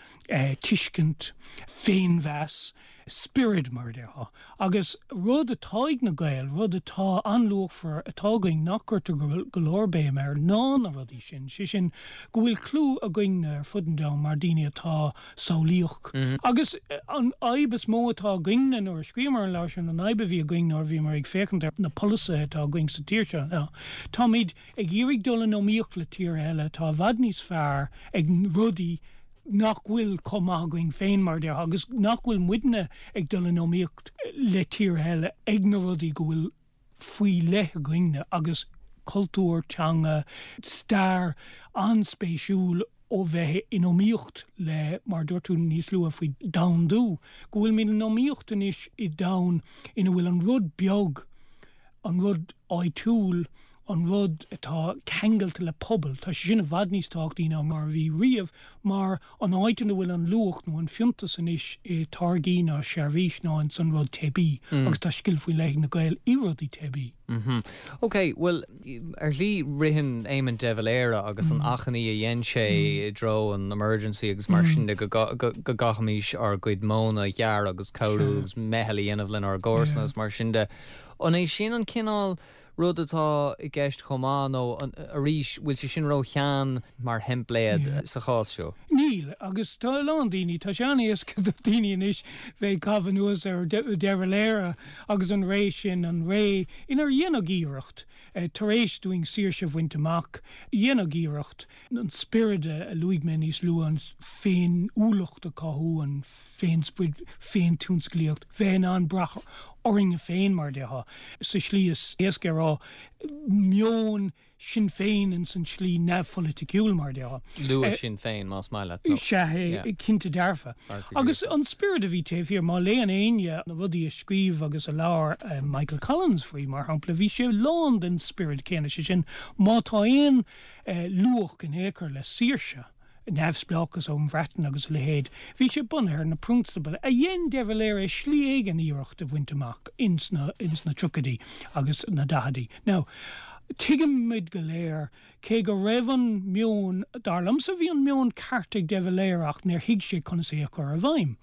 tuiscint, féinmheas. Spiorad, mar a déarfá. Agus rud atá ag na Gaeil, rud atá an-luachmhar atá againn nach gcuirtear go leor béim air ná na rudaí sin, sé sin go bhfuil clú againne ar fud an domhain mar daoine atá samhlaíoch. Agus an fhadhb is mó atá againne nuair a scríobhamar an leabhar sin, an fhadhb a bhí againn nuair a bhíomar ag féachaint ar na polasaithe atá againn sa tír seo ná táimid ag iarraidh dul in iomaíocht le tíortha eile atá i bhfad níos fearr ag rudaí nach bhfuil chomh maith againn féin, mar a déarfá, agus nach bhfuil muidne ag dul in iomaíocht le tíortha eile ag na rudaí go bhfuil faoi leith againne agus cultúr, teanga, stair an-spéisiúil ó bheith in iomaíocht le, mar a dúirt tú níos luaithe faoi domhandú, go bhfuilimid in iomaíocht anois i domhan ina bhfuil an rud beag, an rud áitiúil, an rud atá ceangailte le pobal, tá sé sin i bhfad níos tábhachtaí ná mar a bhí riamh mar an áit ina bhfuil an luach nó an fiúntas anois i táirgí ná seirbhís ná ins an rud teibí agus tá scil faoi leith ag na Gaeil i rudaí teibí. Ok, bhuel, ar shlí ritheann Éamon de Valera agus an achainí a dhein sé i dtreo an Emergency agus mar sin de go gcaithfimis ár gcuid móna a ghearradh agus cabhrú agus meitheal a dhéanamh lenár gcomharsana agus mar sin de. An é sin an cineál rud atá i gceist chomh maith nó, arís, bhfuil sé sin ró-shean mar theimpléad sa chás seo? Níl, agus tá a lán daoine, tá sé an-éasca do daoine anois bheith ag caitheamh anuas ar De Valera agus an ré sin, an ré inar dhéanadh iarracht, tar éis dúinn saoirse a bhaint amach, dhéanadh iarracht an spiorad a luaigh mé níos luaithe, an féiniúlacht a chothú, an féinsprid, féintionsclaíocht, bheith in ann brath orainne féin, mar a déarfá, sa slí is éasca a rá, meon Sinn Féin ins an tslí neamhpholaiticiúil, mar a déarfá. Luath Sinn Féin, más maith leat, nó. Sea, cinnte dearfa. Agus an spiorad a bhí taobh thiar, má léann éinne na rudaí a scríobh agus a labhair Michael Collins faoi, mar shampla, bhí sé lán den spiorad céanna, sé sin, má tá aon luach in aon chor le saoirse, neamhspleáchas ón Bhreatain agus a leithéid. Bhí sé bunaithe ar na prionsabail a dhein de Valera i slí éigin iarracht a bhaint amach ins na ins na triochaidí agus na daichidí. Now, tuigimid go léir, cé go raibh an meon, dar liomsa bhí an meon ceart ag de Valera ach níor thuig sé conas é a chur i bhfeidhm.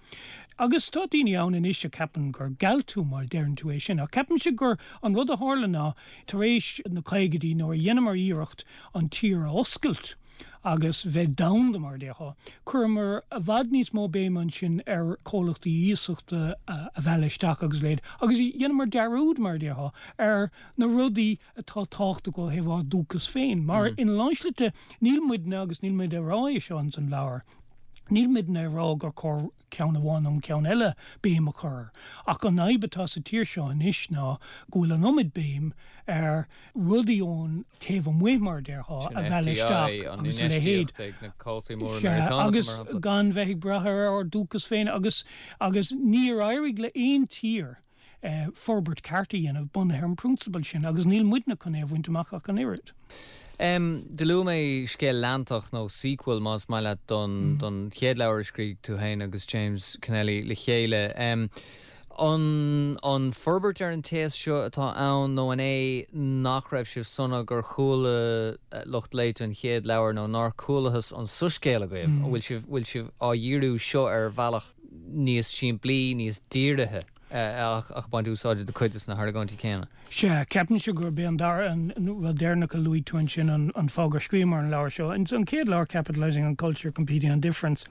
Agus tá daoine ann anois a cheapann gur gealt tú má deireann tú é sin ach ceapaimse gur an rud a tharla ná Tar éis na caogaidí, nuair a dheineamar iarracht an tír a oscailt agus bheith domhanda, mar a déarfá, chuireamar i bhfad níos mó béime ansin ar chomhlachtaí iasachta a mhealladh isteach agus a leithéid, agus dheineamar dearúd, mar a déarfá, ar na rudaí atá tábhachtach ó thaobh ár dúchas féin. Mar ina lán slite, níl muidne, agus níl muid ag rá é seo ins an leabhar, níl muidne ag rá gur chóir ceann amháin nó an ceann eile béim a chur air. Ach an fhadhb atá sa tír seo anois ná go bhfuil an iomad béim ar rudaí ón taobh amuigh, mar a déarfá, a mhealladh isteach agus a leithéid. Sea, agus gan bheith ag brath ar ár dúchas féin agus agus níor éirigh le aon tír forbairt ceart a dhéanamh bunaithe ar an bprionsabal sin agus níl muidne chun é a bhaint amach ach an oiread. Do luaigh mé scéal leantach, nó sequel más maith leat, don don chéad leabhar a scrígh tú féin agus James Kennelly le chéile. An an forbairt ar an téacs seo atá ann nó an é nach raibh sibh sona gur chuala lucht léite an chéad leabhar nó nár chualathas an soiscéal agaibh? An bhfuil sibh bhfuil sibh á dhíriú seo ar bhealach níos simplí, níos dírithe ach ag baint úsáide de cuid de na hargóintí céanna. Sea, ceapaimse gurb é an dara, an rud deireanach a luaigh tú ansin an fáth gur scríobhamar an leabhar seo. Ins an chéad leabhar, Capitalising on Culture, Competing on Difference,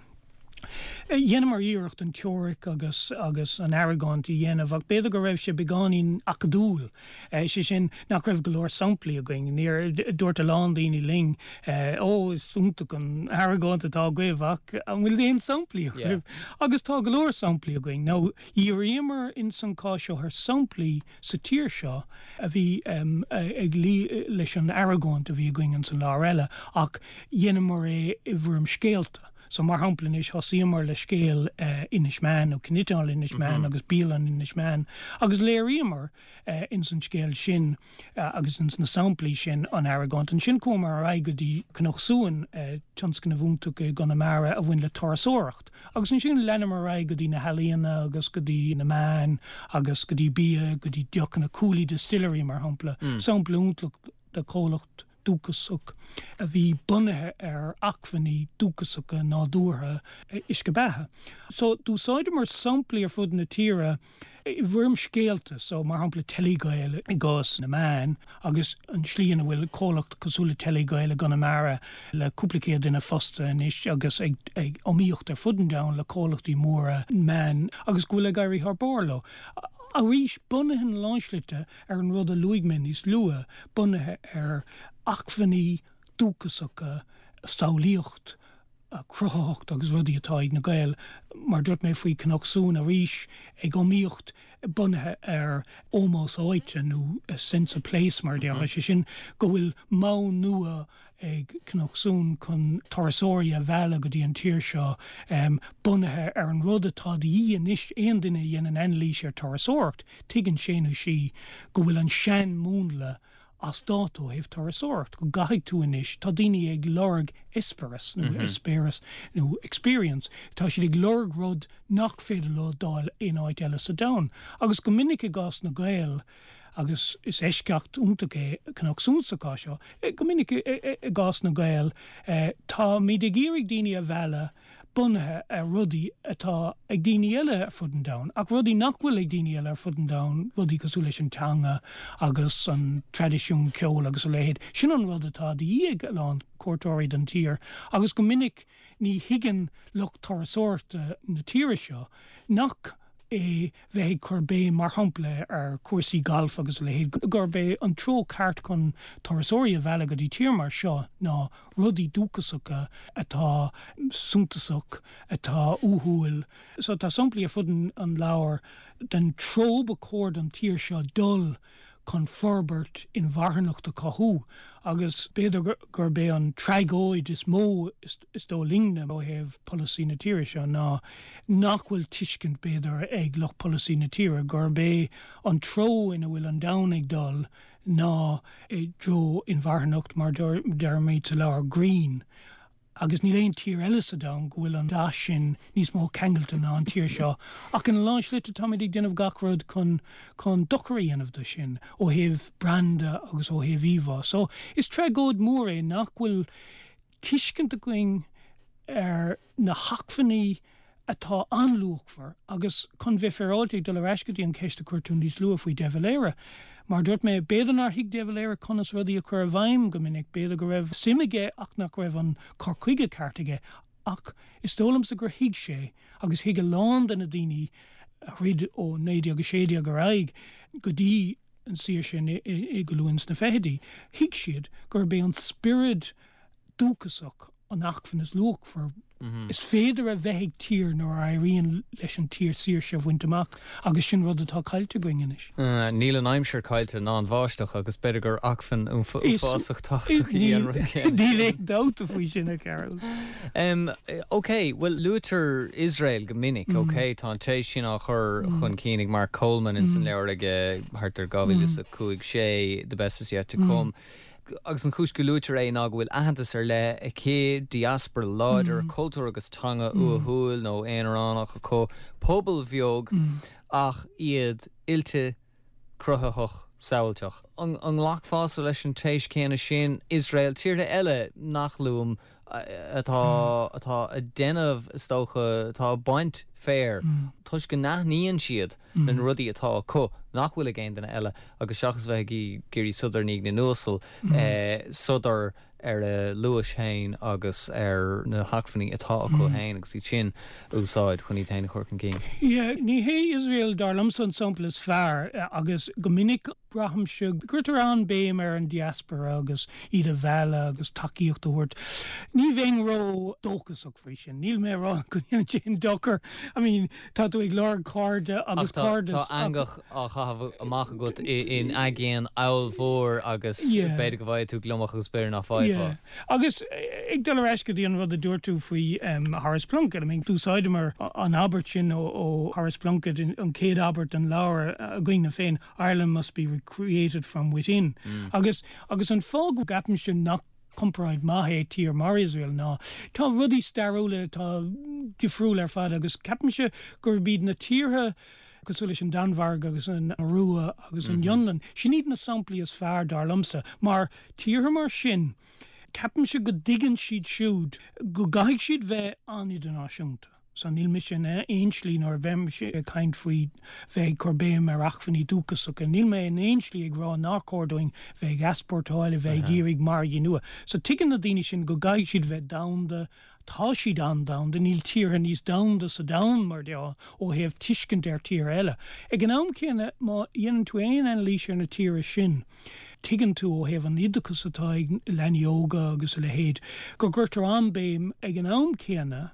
dheineamar iarracht an teoiric agus agus an argóint a dhéanamh ach b'fhéidir go raibh sé beagáinín acadúil. Sé sin, nach raibh go leor samplaí againn. Níor, dúirt a lán daoine linn, Ó, is iontach an argóint atá agaibh ach an bhfuil aon samplaí agaibh? Agus tá go leor samplaí againn. Now, dhíríomar ins an cás seo ar samplaí sa tír seo a bhí ag luí leis an argóint a bhí againn ins an leabhar eile ach dheineamar é i bhfoirm scéalta. So, mar shampla anois, thosaíomar le scéal Inis Meáin, nó Cniotáil Inis Meáin agus bialann Inis Meáin, agus léiríomar ins an scéal sin agus ins na samplaí sin an argóint. Ansin chuamar ar aghaidh go dtí Cnoc Suain, tionscnamh iontach i gConamara a bhain le turasóireacht. Agus ansin leanamar ar aghaidh go dtí na healaíona agus go dtí na meáin agus go dtí bia, go dtí deochanna, Cooley Distillery mar shampla, sampla iontach de chomhlacht. dúchasach a bhí bunaithe ar acmhainní dúchasacha nádúrtha uisce beatha. So d'úsáideamar samplaí ar fud na tíre i bhfoirm scéalta, so mar shampla Telegael i gcás na meán agus an tslí ina bhfuil comhlacht cosúil le Telegael i gConamara le cúpla céad duine fostaithe anois agus ag ag iomaíocht ar fud an domhain le comhlachtaí móra meán agus go bhfuil ag éirí thar barr leo. Arís, bunaithe ina lán slite ar an rud a luaigh mé níos luaithe, bunaithe ar acmhainní dúchasacha, samhlaíocht, cruthaitheacht agus rudaí atá ag na Gaeil, mar dúirt mé faoi Cnoc Suain arís, ag iomaíocht bunaithe ar ómós áite nó a sense of place mar a déarfá, sé sin go bhfuil modh nua ag Cnoc Suain chun turasóirí a mhealladh go dtí an tír seo bunaithe ar an rud atá de dhíth anois, aon duine a dhéanann anailís ar turasóireacht, tuigeann sé nó sí go bhfuil an sean-mhúnla as dáta ó thaobh turasóireacht, go gcaithfidh tú anois, tá daoine ag lorg eispéireas nó eispéireas nó experience, tá siad ag lorg rud nach féidir leo d'fháil aon áit eile sa domhan. Agus go minic i gcás na Gael, agus is eisceacht iontach é Cnoc Suain sa chás seo, go minic i gcás na Gael, táimid ag iarraidh daoine a mhealladh bunaithe ar rudaí atá ag daoine eile ar fud an domhain, ach rudaí nach bhfuil ag daoine eile ar fud an domhain, rudaí cosúil leis an teanga agus an traidisiún ceoil agus a leithéid. Sin an rud atá de dhíth ag a lán cuairteoirí don tír agus go minic ní thuigeann lucht turasóireachta na tíre seo nach é bheith ag cur béim, mar shampla, ar chúrsaí gailf agus a leithéid, gurb é an treo ceart chun turasóirí a mhealladh go dtí tír mar seo ná rudaí dúchasacha atá suntasach, atá uathúil. So tá samplaí ar fud an leabhair den treo ba chóir don tír seo dul chun forbairt inmharthanacht a chothú agus b'fhéidir gurb é an tragóid is mó is dóigh linne ó thaobh polasaí na tíre seo ná nach bhfuil tuiscint b'fhéidir ag lucht polasaí na tíre gurb é an treo ina bhfuil an domhan ag dul ná i dtreo inmharthanacht mar deirimid sa leabhar green. Agus níl aon tír eile sa domhan go bhfuil an dath sin níos mó ceangailte ná an tír seo. Ach ina lán slite táimid ag déanamh gach rud chun chun dochar a dhéanamh do sin, ó thaobh branda agus ó thaobh íomhá. So, is tragóid mhór é nach bhfuil tuiscint againn ar na hacmhainní atá an-luachmhar agus chun bheith féaráilte ag dul ar ais go dtí an cheist a chuir tú níos luaithe faoi De Valera. Mar a dúirt mé, b'fhéidir nár thuig De Valera conas rudaí a chur i bhfeidhm go minic, b'fhéidir go raibh suim aige ach nach raibh an cur chuige ceart aige ach is dóigh liomsa gur thuig sé agus thuig a lán de na daoine a throid ó 1916 ar aghaidh go dtí an saoirse i go luath ins na fichidí, thuig siad gurb é an spiorad dúchasach an acmhainn is luachmhar is féidir a bheith ag tír nuair a éiríonn leis an tír saoirse a bhaint amach agus sin rud atá caillte againn anois. Níl an aimsir caillte ná an bháisteach agus b'fhéidir gur acmhainn uafásach tábhachtach í an rud céanna. Níl aon dabht faoi sin, a Chearbhaill. Ok, bhuel luaitear Iosrael go minic, ok, tá an téis sin á chur chun cinn ag Mark Coleman ins an leabhar aige thart ar 2005, 6, The Best Is Yet To Come. Agus an chúis go luaitear é ná go bhfuil aitheantas ar leith aici, diaspora láidir, cultúr agus teanga uathúil nó aonaránach acu, pobal bheag ach iad oilte, cruthaitheach, samhailteach. An nglacfása leis an téis chéanna sin? Iosrael, tíortha eile nach luaim atá atá ag déanamh, is dócha, atá ag baint féir toisc go n-aithníonn siad na rudaí atá acu nach bhfuil ag aon duine eile agus seachas bheith ag iarraidh sodar i ndiaidh na n-uasal, sodar ar a luas féin agus ar na hacmhainní atá acu féin agus iad sin a úsáid chun iad féin a chur chun cinn. Yeah, ní hé Iosrael dar liomsa an sampla is fearr agus go minic braithimse go gcuirtear an-béim ar an diaspora agus iad a mhealladh agus tacaíocht a thabhairt. Ní bheinn ró-dóchasach faoi sin. Níl mé ag rá go ndéanann sé aon dochar. I mean, tá tú ag lorg cairde agus cairdeas. Ach tá eangach á chaitheamh amach agat in aigéan ollmhór agus b'fhéidir go bhfaighidh tú gliomach agus b'fhéidir nach bhfaighfeá. Agus ag dul ar ais go dtí an rud a dúirt tú faoi Horace Plunkett, I mean, d'úsáideamar an abairt sin ó Horace Plunkett, an chéad abairt den leabhar againne féin, Ireland must be recreated from within. Agus agus an fáth go gceapaimse nach comparáid maith é tír mar Iosrael ná tá rudaí stairiúla atá difriúil ar fad agus ceapaimse gurb iad na tíortha. cosúil leis an Danmhairg agus an Iorua agus an Fhionlainn, sin iad na samplaí is fearr, dar liomsa, mar tíortha mar sin, ceapaimse go dtuigeann siad siúd go gcaithfidh siad bheith an-idirnáisiúnta. So níl mise in aon slí nuair a bheimse ag caint faoi bheith ag cur béim ar acmhainní dúchasacha, níl mé in aon slí ag rá nár chóir dúinn bheith ag easpórtáil, a bheith ag iarraidh margaí nua. So tuigeann na daoine sin go gcaithfidh siad bheith domhanda, Tá siad an-domhanda, níl tíortha níos domhanda sa domhan, mar déarfá, ó thaobh tuiscint ar tíortha eile. Ag an am céanna, má dhéanann tú aon anailís ar na tíortha sin, tuigeann tú, ó thaobh an oideachais atá ag leanaí óga agus a leithéid, go gcuirtear an-béim ag an am céanna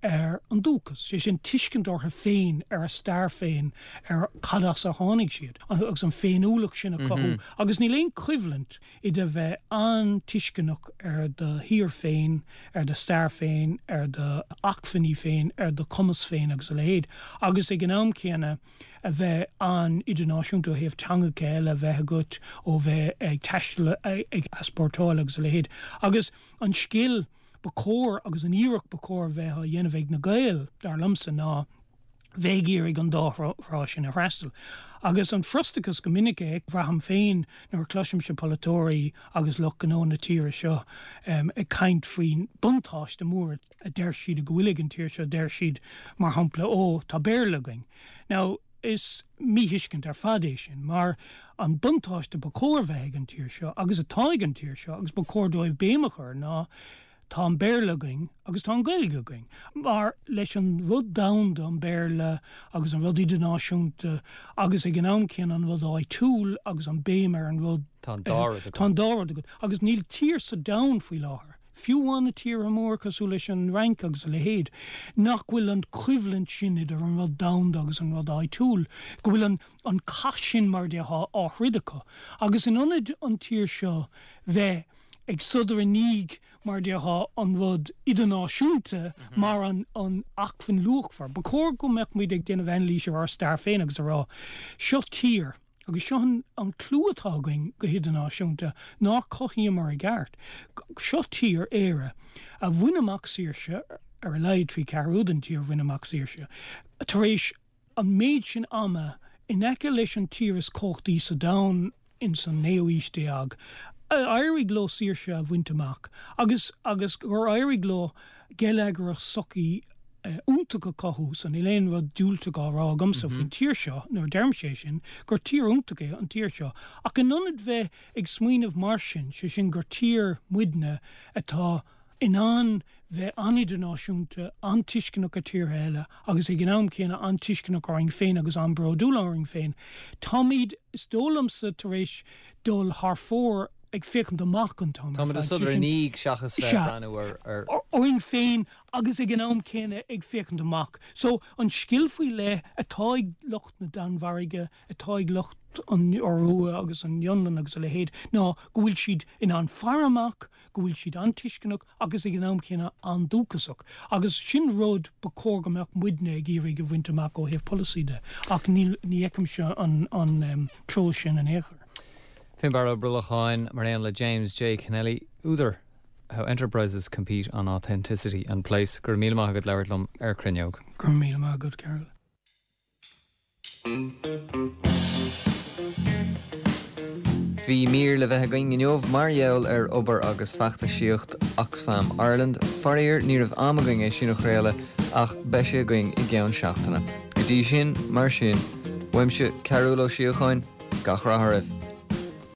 ar an dúchas, sé sin, tuiscint orthu féin, ar a stair féin, ar cad as ar tháinig siad, agus an féiniúlacht sin a chothú. Agus níl aon choimhlint idir bheith an-tuisceanach ar do thír féin, ar do stair féin, ar do acmhainní féin, ar do chumas féin agus a leithéid, agus ag an am céanna a bheith an-idirnáisiúnta ó thaobh teangacha eile a bheith agat, ó bheith ag taisteal, ag easpórtáil agus a leithéid. Agus an scil ba chóir agus an iarracht ba chóir a bheith á dhéanamh ag na Gaeil, dar liomsa, ná bheith ag iarraidh an dá thrá sin a fhreastal. Agus an frustrachas go minic a bhraithim féin nuair a chloisimse polaiteoirí agus lucht gnó na tíre seo ag caint faoin buntáiste mór a deir siad go bhfuil ag an tír seo, deir siad, mar shampla, 'Ó, tá Béarla againn'. Now, is míthuiscint ar fad é sin, mar an buntáiste ba chóir bheith ag an tír seo, agus atá ag an tír seo, agus ba chóir dóibh béim a chur, ná Tá an Béarla againn agus tá an Ghaeilge againn. Mar leis an rud domhanda, an Béarla, agus an rud idirnáisiúnta agus ag an am céanna an rud áitiúil agus an béim ar an rud. Tá an dá rud agat. Tá an dá rud agat. Agus níl tír sa domhan faoi láthair, fiú amháin na tíortha móra cosúil leis an Fhrainc agus a leithéid, nach bhfuil an choimhlint sin idir an rud domhanda agus an rud áitiúil, go bhfuil an an cath sin mar a déarfá á throid acu. Agus in ionad an tír seo bheith ag sodar i ndiaidh, mar a déarfá, an rud idirnáisiúnta mar an acmhainn luachmhar. Ba chóir go mbeadh muid ag déanamh anailís ar ár stair féin agus a rá, seo tír, agus seo an clú atá againn go hidirnáisiúnta, nár chothaíomar i gceart. Seo tír, Éire, a bhain amach saoirse, ar a laghad trí ceathrú den tír a bhain amach saoirse, tar éis an méid sin ama in aice leis an tír is cumhachtaí sa domhan ins an naoú haois déag, éirigh leo saoirse a bhaint amach agus agus gur éirigh leo geilleagar agus sochaí iontach a chothú so níl aon rud diúltach á rá agamsa faoin tír seo nuair a deirimse é sin, gur tír iontach é an tír seo. Ach in ionad bheith ag smaoineamh mar sin, sé sin gur tír muidne atá in ann bheith an-idirnáisiúnta, an-tuisceanach ar tíortha eile agus ag an am céanna an-tuisceanach orainn féin agus an-bhródúil orainn féin. Táimid, is dóigh liomsa, tar éis dul thar fóir ag féachaint amach an t-am ar fad. Táimid ag sodar i ndiaidh seachas bheith ag breathnú ar. orainn féin agus ag an am céanna ag féachaint amach. So, an scil faoi leith atá ag lucht na Danmhairge, atá ag lucht an Iorua agus an Fhionlainn agus a leithéid ná go bhfuil siad in ann faire amach, go bhfuil siad an-tuisceanach agus ag an am céanna an-dúchasach. Agus sin rud ba chóir go mbeadh muidne ag iarraidh a bhaint amach ó thaobh polasaí de, ach níl, ní fheicimse an, an treo sin in aon chor. Finbarr Ó Brolacháin, mar aon le James J. Kennelly, údar How Enterprises Compete on Authenticity and Place. Go raibh míle maith agat labhairt liom ar Cruinneog. Go raibh míle maith agat, Carol. Bhí mír le bheith againn inniu mar gheall ar obair agus feachtasaíocht Oxfam Ireland. Faraor, ní raibh am againn é sin a chraoladh ach beidh sé againn i gceann seachtaine. Go dtí sin, mar sin, uaimse, Cearúll Ó Síocháin, gach rath oraibh.